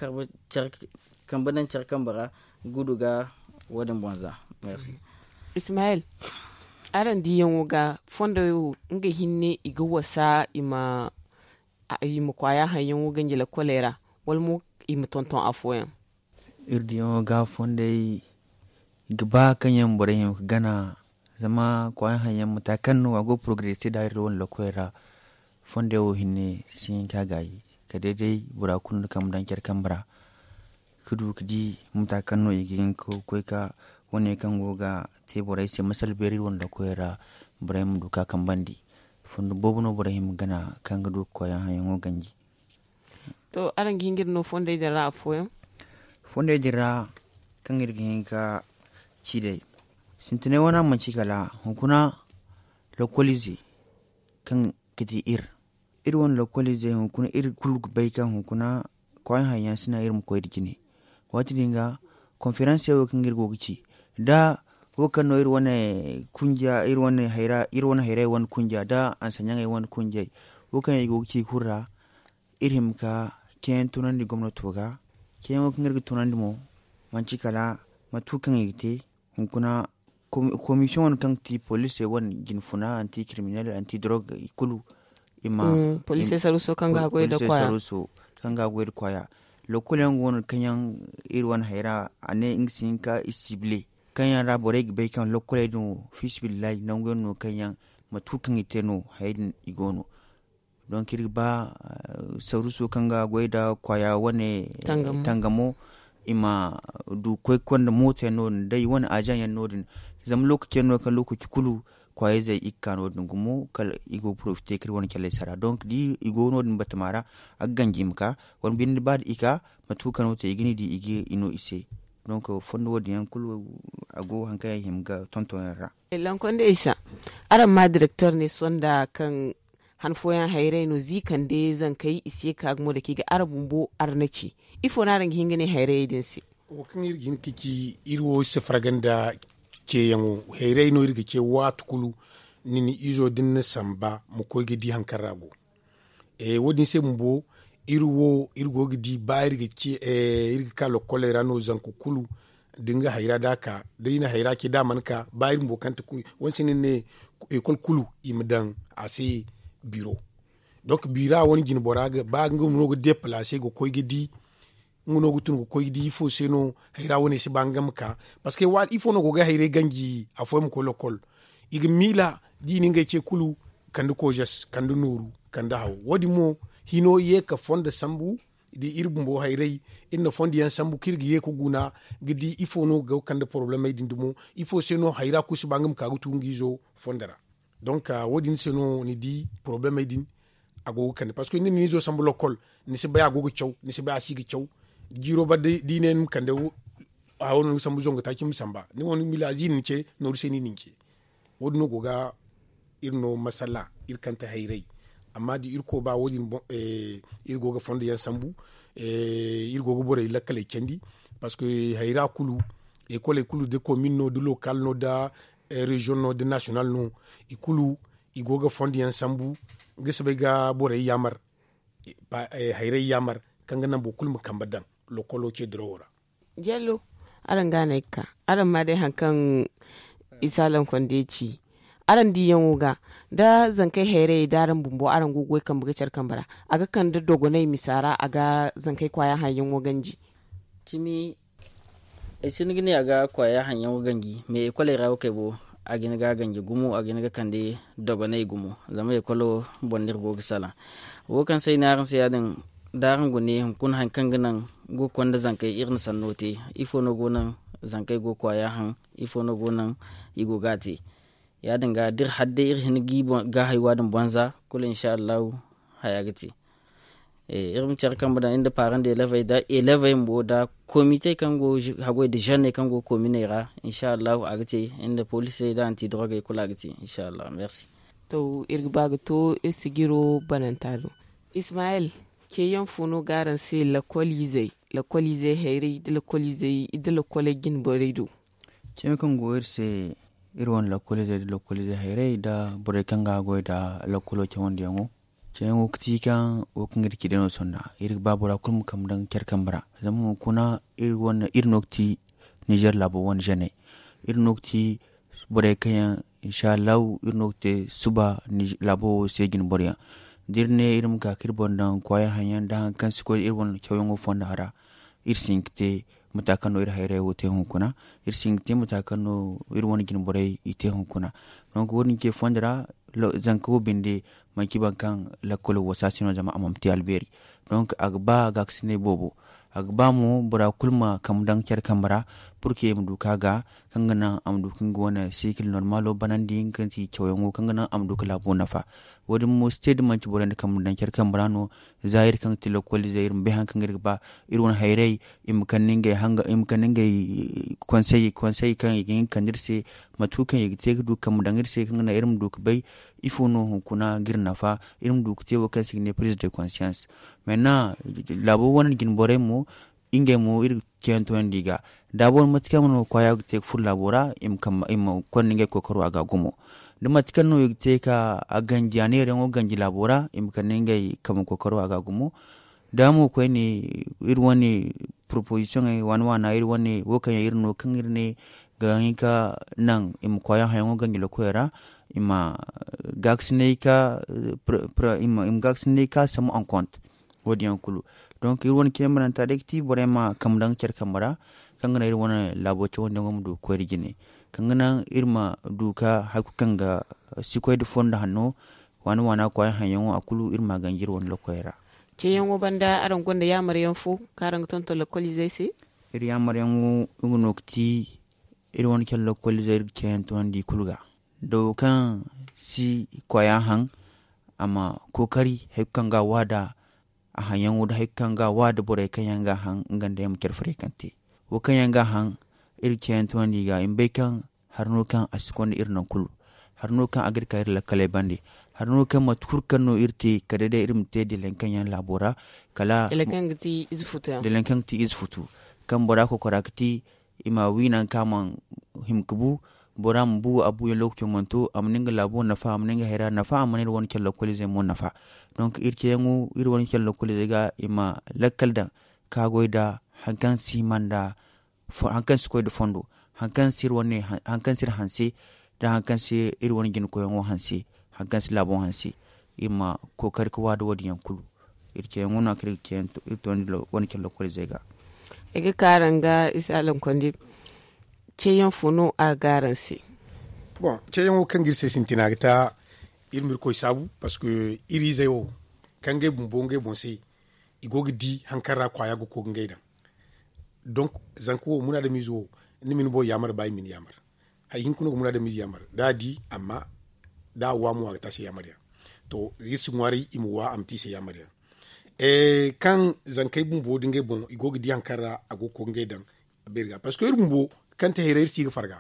kamba daŋ care kambe ra gudu ga wo- din boŋ za. Ismayel, araŋ diyaŋo ga fondey wo nga hinne i ga wasa i ma kwaaya haŋyaŋo ganji lakkoley ra wala mo i ma tonton afooyaŋ? Iri diyaŋo ga fondey i ga ba kaŋ yaŋ borey hima ga gana. Zama kwaaya haŋyaŋ mata kaŋ no a go ga porogarese nda iri wane lakkoley ra. Fondey wo hinne si hin ka gaayi kala day day bora kulu na kambe daŋ care kambe ra. Ga du ga di mata kaŋ no i ga hin ga koy ga wane kaŋ go ga te borey se masala beeri iri wane lakoyey ra. Borey ma du ga kambandi fondo boobo no borey hima ga gana kaŋ ga du ga koy haŋyaŋo ganji. To araŋ ga hin ga iri no fondey din ra afooyaŋ? Fondey din ra kaŋ iri ga hin ga ci day sintinay wane manci kala hunkuna lokolize kaŋ ga di iri. Iri wane lokoliizey hunkuna iri kulu ga bay kaŋ hunkuna kwaay haŋ yaŋ si naŋ iri ma koy nda jine. Waati din ga konferanse wo kaŋ iri go ga ci da wo kaŋ no iri wane kunja iri wane hayray wane kunja da ansaɲaŋey wane kunjey wo kaŋ yaŋ i go ga ci kulu ra. Iri hima ga ceeyaŋ tunandi gomnato ga ceeyaŋo kaŋ iri ga tunandi mo manci kala mate kulu kaŋ i ga te hunkuna komisiyoŋ wane kaŋ ga ti polisey wane jinfuna anti kiriminel anti dorog i kulu i ma polisey saruuso kaŋ ga haggoy nda kwaaya. Kaŋ ga haggoy nda kwaaya. Lokkol yaŋ go no kaŋ yaŋ iri wane hayra a ne nga si hin ka i sibile kaŋ yaŋ ra borey ga bay kaŋ lokkoley din wo fiisabilillahi nangu yaŋ no kaŋ yaŋ mate kulu kaŋ i te no hayey din i go no. Donk iri ga ba saruuso kaŋ ga goy nda kwaaya wane tangamo i ma du koy ga konda mooto yaŋ no- din day wane azaŋ yaŋ no- din. Zama lookaci yaŋ no kaŋ lookaci kulu kwaayayzey i ga ka no- din gumo kala i go ga porofite kaŋ iri wane caley sara donk da i go no- din batama ra a ga ganji i ma ka wala binde ba da i ka mate kulu kaŋ no te i ga ni di i ga i no i se. Donk fondo wo- din yaŋ kulu a go hari kaŋ yaŋ i hima ga tonton yaŋ ra. Lankonde isa araŋ ma direktor ne sonda kaŋ han fooyaŋ hayray no ziikande zankey i si ye ga ka gumo dake ga araŋ bumbo araŋ na ci? Ifo no araŋ ga hin ga ne hayrayey din se? Wo kaŋ iri ga hin ga ci iri wo iri si farga nda ceeyaŋo. Hayray no iri ga ce waati kulu ni na izo da ni na samba ma koy ga di hari kaŋ ra a go. Wo- din se bumbo iri wo iri go ga di ba iri ga ka lokkoley ra no zanka kulu da nga hayra da a ka da i na hayra ce da a mana ka ba iri bumbo kaŋ ti kuy wane si ni ne ekol kulu i ma daŋ a se biro. Donk bira wane jine bora ga ba nga no ga depalaase ga koy ga di nga no ga tun ga koy ga di ifo se no hayra wane si ba nga ma ka. Parceque ifo no go ga hayray ganji afooyaŋ ma koy lokol i ga miila da i na ngey ce kulu kande koozes kande nooru kande haw wo- din mo hino ye ka fondo sambu da iri bumbo hayray iri na fondo yaŋ sambu kaŋ iri ga ye ga guna ga di ifo no ga kande porobalemey din dumo ifo se no hayra kulu si ba nga ma ka ga tu nga izo fondo ra. Donk wo- din se no ni di porobalemey din a go ga kande parceque ni na ni izo sambu lokol ni si bay a go ga caw ni si bay a si ga caw jiiro ba da i ne ni ma kande hawo no ni ga sambu zangu taaci ma samba ni wo ni ma miila a ziiri ni ce nooru se no i na ni ce. Wo- din no go ga iri no masala iri kante hayray. Amma da irkoy ba wo- din iri go ga fondo yaŋ sambu iri go ga borey lakkaley candi. Parceque hayra kulu ekoley kulu da komin no da lokal no da reziyoŋ no da nasiyonal no i kulu i go ga fondo yaŋ sambu ga si bay ga borey yaamar hayray yaamar kaŋ ga naŋ boro kulu ma kambe daŋ lokolo ce dirawo ra. Jallo, araŋ ga no ay ga ka araŋ ma day hari kaŋ isa lankonde ci araŋ diyaŋo ga da zankey hayrayey da araŋ bumbo araŋ go ga goy kambe ga care kambe ra a ga kande dogonay misa ra a ga zankey kwaaya haŋ yaŋo ganji. Cimi ay sinda ga ne a ga kwaaya haŋ yaŋo ganji mais ekoley ra wo kay bo a ga hin ga ganji gumo a ga hin ga kande dogonay gumo zama ekolo boŋ no iri go ga salaŋ. Wo kaŋ se ay ne araŋ se ya- din da araŋ go ne hunkuna hari kaŋ ga naŋ go ga konda zankey iri na sanno te ifo no go naŋ zankey go ga kwaaya haŋ ifo no go naŋ i go ga a te. Ya- din ga da iri har day iri hin ga i ga haywa din banza kulu insa allahu haya ga te. Iri ma care kambe daŋ iri nda paaraŋ da elevey da elevey bumbo da komitey kaŋ go haggoy nda zenney kaŋ go kominey ra insa allahu a ga te iri nda poliisey da anti dorogey kulu a ga te insa allahu merci. To iri ga ba ga to iri sijiro bananta do. Ismayel, ceeyaŋ fo no ga araŋ se lakoliizey lakoliizey hayray da lakoliizey da lakoley jine borey do? Ceeyaŋ kaŋ go iri se iri wane lakoliizey da lakoliizey hayray da borey kaŋ ga a goy da lakolo cawandiyaŋo. Ceeyaŋo ga ti kaŋ wo kaŋ iri ci day no sonda iri ga ba bora kulu ma kambe daŋ care kambe ra. Zama hunkuna iri no ga ti nizer laabo wane zeeney. Iri no ga ti borey kaŋ yaŋ insa allahu iri no ga te suba laabo wo se jine boro yaŋ. Da iri ne iri ma ka ka iri boŋ daŋ kwaaya haŋ yaŋ nda hari kaŋ si koy iri wane cawyaŋo fonda ra iri si hin ga te mate kaŋ no iri hayray wo te hunkuna. Iri si hin ga te mate kaŋ no iri wane jine borey i te hunkuna. Donk wo- din ce fondo ra zanka wo binde manci boro kaŋ lakkolo wasa se no zama a mana te albeeri. Donk a ga ba gaakasinay boobo. A ga ba mo bora kulu ma kambe daŋ care kambe ra purke i ma du ka ga kaŋ ga naŋ a ma du ka nga wane sikil normalo banandi nga kaŋ ti cawyaŋo kaŋ ga naŋ a ma du ka laabo nafa. Wo- din mo si te da manci borey nda kambe daŋ care kambe ra no. Za iri kaŋ ga ti lokoliizey iri ma bay hari kaŋ iri ga ba iri wane hayray i ma kande ngey hanga i ma kande ngey konsey konsey kaŋ i ga hin ga kande iri se mate kulu kaŋ i ga te ga du kambe daŋ iri se kaŋ ga naŋ iri ma du ga bay ifo no hunkuna ga iri nafa. Iri ma du ga te wo kaŋ se i ga ne prise de conscience. Mena laabo wane jine borey mo ngey mo iri ga ceeyaŋ toonandi i ga da boro mate kaŋ no kwaaya ga te ga furo laabo ra i ma konda ngey kookaro a ga gumo. Da mate kaŋ no i ga te ka a ganji a neerayaŋo ganji laabo ra i ma kande ngey kambe kookaro a ga gumo. Da mo koyne iri wane poroposisiyoŋey waana waana iri wane wo kaŋ yaŋ iri no kaŋ iri ne ga hin ka naŋ i ma kwaaya hayaŋo ganji lokoyey ra i ma gaakasinay ka i ma gaakasinay ka samu ankont. Wo- din yaŋ kulu donk iri wane ceeyaŋ bananta day ga ti borey ma kambe daŋ care kambe ra kaŋ ga naŋ iri wane laabo cawandiyaŋo ma du ga koy nda jine kaŋ ga naŋ iri ma du ka hari kulu kaŋ ga si koy nda fondo hanno waana waana kwaaya hayaŋo a kulu iri ma a ganji iri wane lokoyey ra. Ceeyaŋo banda araŋ gonda yaamaryaŋ fo kaŋ araŋ ga tonton lokoliizey se? Iri yaamaryaŋo nga no ga ti iri wane care lokoliizey iri ga ceeyaŋ toonandi i kulu ga da wo kaŋ si kwaaya haŋ a ma kookari hari kulu kaŋ ga a waada a haŋyaŋo da hari kulu kaŋ ga a waada borey kaŋ yaŋ ga a haŋ nga nda yaŋ ma care furey kaŋ te wo kaŋ yaŋ ga a haŋ iri ga ceeyaŋ toonandi i ga i ma bay kaŋ hari no kaŋ a si konda iri naŋ kulu. Hari no kaŋ a ga iri ka iri lakkaley bande. Hari no kaŋ mate kulu kaŋ no iri te kala day iri ma te delaŋ kaŋ yaŋ laabo ra kala delaŋ kaŋ ga ti ize futu kaŋ bora kokora ga ti i ma wi nangu kaŋ a mana hima ga bu bora ma bu a buyaŋ lokaco mana to a mana nga laabo nafa a mana nga hayra nafa a mana iri wane care lokoliizey mo nafa. Donk iri ceeyaŋo iri wane care lokoliizey ga i ma lakkal daŋ ka goy nda hari kaŋ si hima nda hari kaŋ si koy nda fondo hari kaŋ si iri hanse da hari kaŋ se iri wane jina koyaŋo hanse, hari kaŋ se laabo hanse, iri ma kookari ga waada wo- din yaŋ kulu. Iri ceeyaŋo no a kaŋ iri ga ceeyaŋ to iri toonandi wane care lokoliizey ga. Ay ga ka araŋ ga isa lankondi. Ceeyaŋ fo no a ga araŋ se? Bon, ceeyaŋo kaŋ ga iri se sintina ga ta, iri ma irkoy saabu, parceque iri izey wo kaŋ ngey bumbo ngey boŋ se, i go ga di hari kaŋ ra kwaaya ga koy ga ngey daŋ. Donk, zanka wo munaadamiize wo, ni ma ni boŋ yaamar ba i ma ni yaamar. Hari hinka no ga munaadamiize yaamar da a di, amma da a wa mo a ga te a se yaamar yaŋ. To, iri si ŋwaaray i ma wa a ma te i se yaamar yaŋ. Kaŋ zankey bumbo da ngey boŋ i go ga di hari kaŋ ra a go ga koy ga ngey daŋ. Beeri ga parceque iri bumbo kaŋ te hayray iri si ga farga.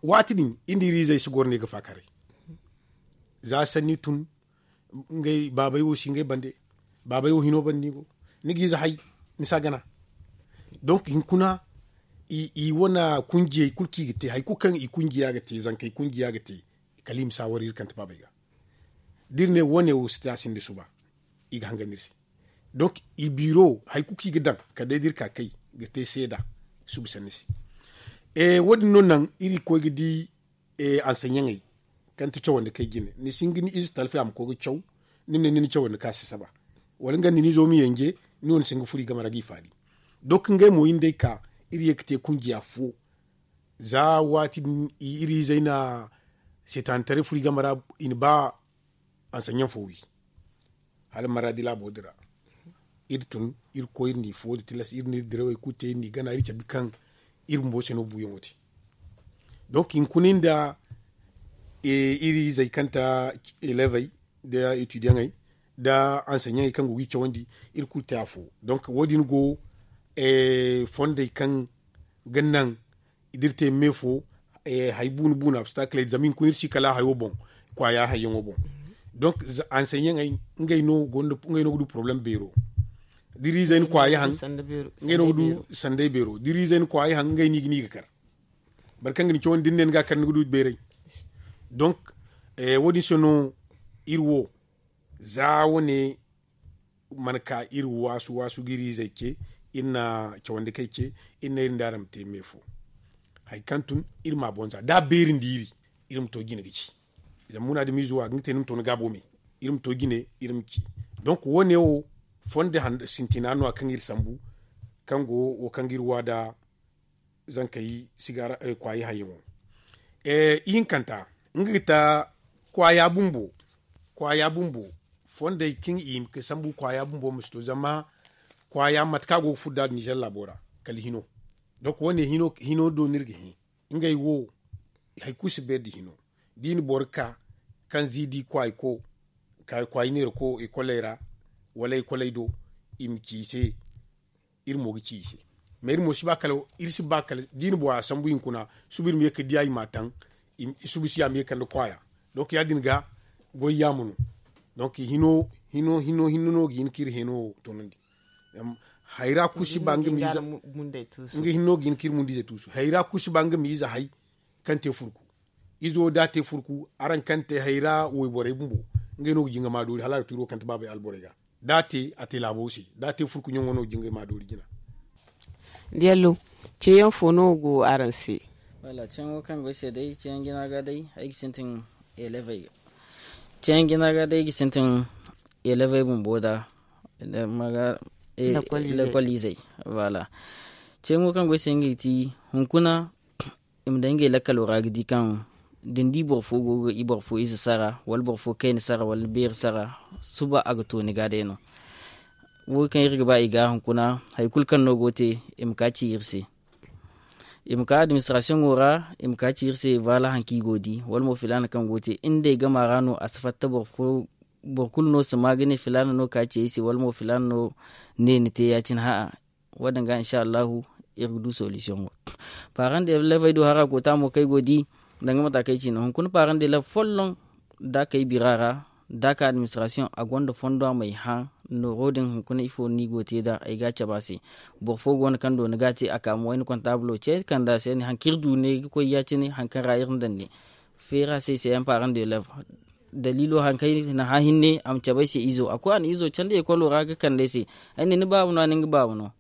Waati din iri nda iri izey si goro ne ga faakaray. Za sanni tun, ngey baabey wo si ngey bande. Baabey wo hino bande ni go, ni ga ize hay, ni si a gana. Donk hinkuna i wane kunjiyey kulu kaŋ i ga te hari kulu kaŋ i kunjiya ga te zankey kunjiya ga te, kala i ma si a war iri kante baabey ga. Da iri ne wo- ne wo si te a sinda suba, i ga hangan iri se. Donk i biiro hari kulu kaŋ i ga daŋ kala day da iri ka kay ga te seeda suba sanni se. Wo- din no naŋ iri ga koy ga di anseɲaŋey kaŋ ti cawandi kay jine ni si hin ga ni ize talfi a ma koy ga caw. Ni ma ne ni na cawandi ka si saba wala nga nda ni zo ma yanje. Ni wane si hin ga furo i game ra ga i faali. Donk ngey mo iri nda ay ka iri ye ga te kunjiya fo. Za waati din iri izey na seetaanitaray furo i game ra. I na ba anseɲaŋ fo wi hala maradi laabo din ra. Iri tun iri koy iri n'i fo da tilas iri n'iri dirawey kulu te iri n'i gana iri cabe kaŋ iri bumbo se no buuyaŋo te. Donk hinkuna nda iri izey kaŋ ta elevey nda etidiyaŋey nda anseɲaŋey kaŋ go ga i cawandi, iri kulu te afo. Donk wo- din go fondey kaŋ ga naŋ da iri te me fo hari buuna buuna a si ta kala zama hinkuna iri si kala hayo boŋ. Kwaaya hayyaŋo boŋ. Donk anseɲaŋey ngey no ga du poroblem beero. Da iri izey na kwaaya haŋ ngey no ga du sanday beero da iri izey na kwaaya haŋ ngey no i ga ne i ga kar. Boro kaŋ ga ni cawandi da ni ne ni ga a kar ni ga du beeray. Donk wo- din se no iri wo za wane mana ka iri waasu waasu ga iri izey ce. Iri na cawandi kay ce iri ne iri nda araŋ ma te me fo. Hari kaŋ tun iri ma a boŋ za da a beeri nda iri iri ma to jine ga ci. Zama munaadamiize wo a ga nga te ni ma to ni gaabo me. Iri ma to jine iri ma ci. Donk wo- ne wo fondo sintina no- ya kaŋ iri sambu kaŋ go wo kaŋ ga iri wa nda zankey sigara kwaayi hayyaŋo. Ihinkanta nga ga ta kwaaya bumbo. Kwaaya bumbo fondey kaŋ i hima ga sambu kwaaya bumbo ma si to zama kwaaya mate kaŋ a go ga furo nd'a nizer laabo ra kala hino. Donk wo- ne hino do no iri ga hin ngey wo hari kulu si beeri nda hino. Da i na boro ka kaŋ ziidi kwaayko ka kwaayi neerako ekoley ra wala ekoley do i ma ci i se. Iri mo ga ci i se mais iri mo si ba kala iri si ba kala da i na bora sambu hinkuna suba iri ma ye ga diya i m'a taŋ. Suba si ya ma ye ga kande kwaaya. Donk ya- din ga goy yaama no. Donk hino hino hino hinne no ga hin ka iri heno wo toonandi. Hayra kulu si ba nga ma ize nga hinne no ga hin ka iri mund'ize tuusu hayra kulu si ba nga ma ize hay kaŋ te furku. Izo da a te furku araŋ kaŋ te hayra wayborey bumbo ngey no ga jinga ma doori hala a ga tuuro kaŋ te baabey alborey ga. Da a te a te laabo se da a te furku ɲaŋo no ga jinga ma doori jina. Diyallo ceeyaŋ fo no go araŋ se? Wala ceeyaŋo kaŋ go ay se day ceeyaŋ jina ga day ay ga sintin elevey ga ceeyaŋ jina ga day ay ga sintin elevey bumbo da. Lekol izey. Wala ceeyaŋo kaŋ go ay se ngey ti hunkuna i ma daŋ ngey lakkalo ra ga di kaŋ da ni di boro fo go ga i boro fo ize sara wala boro fo kayna sara wala beeri sara suba a ga to ni ga day no. Wo kaŋ iri ga ba i ga hunkuna hari kulu kaŋ no go te i ma ka ci iri se. I ma ka administrasiyoŋo ra i ma ka ci iri se baala hari kaŋ i go ga di wala mo filaana kaŋ go ga te ngey gama ra no a si fatta boro kulu no si ma ga ne filaana no ka ci ay se wala mo filaana no ne ni te ya- cine ha'a. Wo- din ga insa allahu iri ga du solisiyoŋo. Paaraŋ da elevey do hara koota mo kaŋ ay go ga di danga mata kaŋ ay ci no hunkuna paaraŋ da elevey folloŋ da a kay bira ra da a ka administrasiyoŋ a gonda fondo a ma ay hã. Nooro din hunkuna ifo no i go ga te nd'a ay ga a cabe a se. Boro fo go no kaŋ doona ga a te a ka ma wayna kontaabulo ce kande a se ne hari kaŋ iri du ne ga koy ya- cine hari kaŋ ra iri na daŋ ne. Feera se ay se yaŋ paaraŋ da elevey daliilo hari kaŋ ay na hã hinne a ma cabe ay se izo a koy a na izo candi ekolo ra ga kande ay se. Ay ne ni baaba no a ne nga baaba no.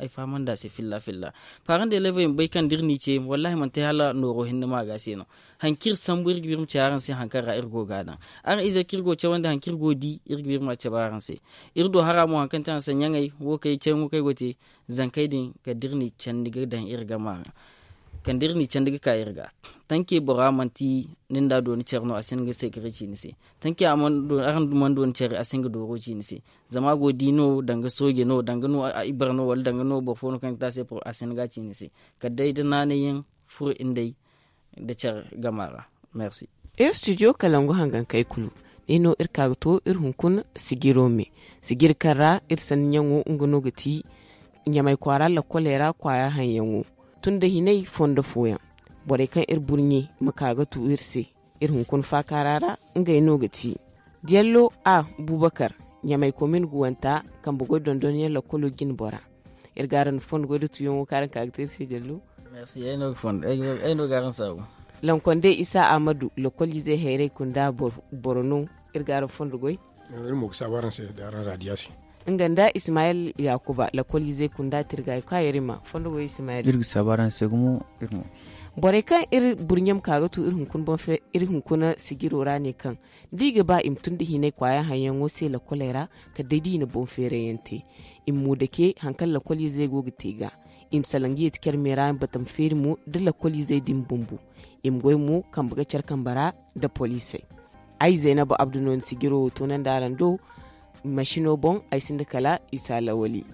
ay fahamandi a se filla filla. Parent de leve i ma bay kaŋ da iri n'i ce, wallahi manti hala nooro hinne ma ga se no. Hari kaŋ iri sambu iri ga ba iri ma ci araŋ se hari kaŋ ra iri go ga a daŋ. Araŋ ize kaŋ iri go cawandi hari kaŋ iri go ga di, iri ga ba iri ma a cabe araŋ se. Iri do hara mo hari kaŋ ti araŋ se ɲaŋey wo kaŋ ay cawyaŋo kaŋ ay go ga te, zankey din kala da iri n'i candi ga daŋ iri gama ra. Kala da iri n'i candi ga ka iri ga. Tanke bora manti ni nda dooni care no a si hin ga seekare ci ni se. Tanke araŋ mana dooni care a si hin ga dooro ci ni se. Zama a go ga di no danga sooje no danga no ibare no wala danga no boro fo no kaŋ ga te a se a si hin ga a ci ni se. Kala day da naanay yaŋ furo nda ay nda care gama ra. Merci. Iri studio kalangu hangankey kulu, day no iri ka ga to iri hunkuna sijiro me. Sijiri kaŋ ra iri sanni ɲaŋo nga no ga ti ɲamay kwaara lakkoley ra kwaaya haŋyaŋo. Tun da hinay fondo fooyaŋ, borey kaŋ iri burɲe ma ka ga tu iri se iri hunkuna faakaara ra, ngey no ga ti diyallo a bubakar, ɲamay komin guwanta kambe goy dondonyaŋ lakkolo jine bora. Iri ga araŋ fondo goy da tuyaŋo kaŋ araŋ ka ga te iri se diyallo. Merci ay no ga fondo ay no ga araŋ saabu. Lankondey isa ahmadu lakkoliizey hayray kunda boro no. Iri ga araŋ fondo goy. Iri mo ga saabu araŋ se da araŋ raadiya se. Nga nda ismayel yakuba lakkoliizey kunda tirgaayo kaŋ a yarima fondo goy ismayel. Iri ga saabu araŋ se gumo. Iri mo. Borey kaŋ iri burɲe ma ka ga tu iri hunkuna sijiro ra ne kaŋ da i ga ba i ma tun da hinay kwaaya haŋyaŋo se lakkoley ra kala day da i na boŋ feerayyaŋ te. I ma mu dake hari kaŋ lakkoliizey go ga te ga. I ma salaŋ ga yeeti care me ra batama feeri mo da lakkoliizey din bumbo. I ma goy mo kambe ga care kambe ra nda poliisey. Ay zaynabu abdu no ni sijiro wo toonandi araŋ do. Masino boŋ ay sinda kala isa lawali.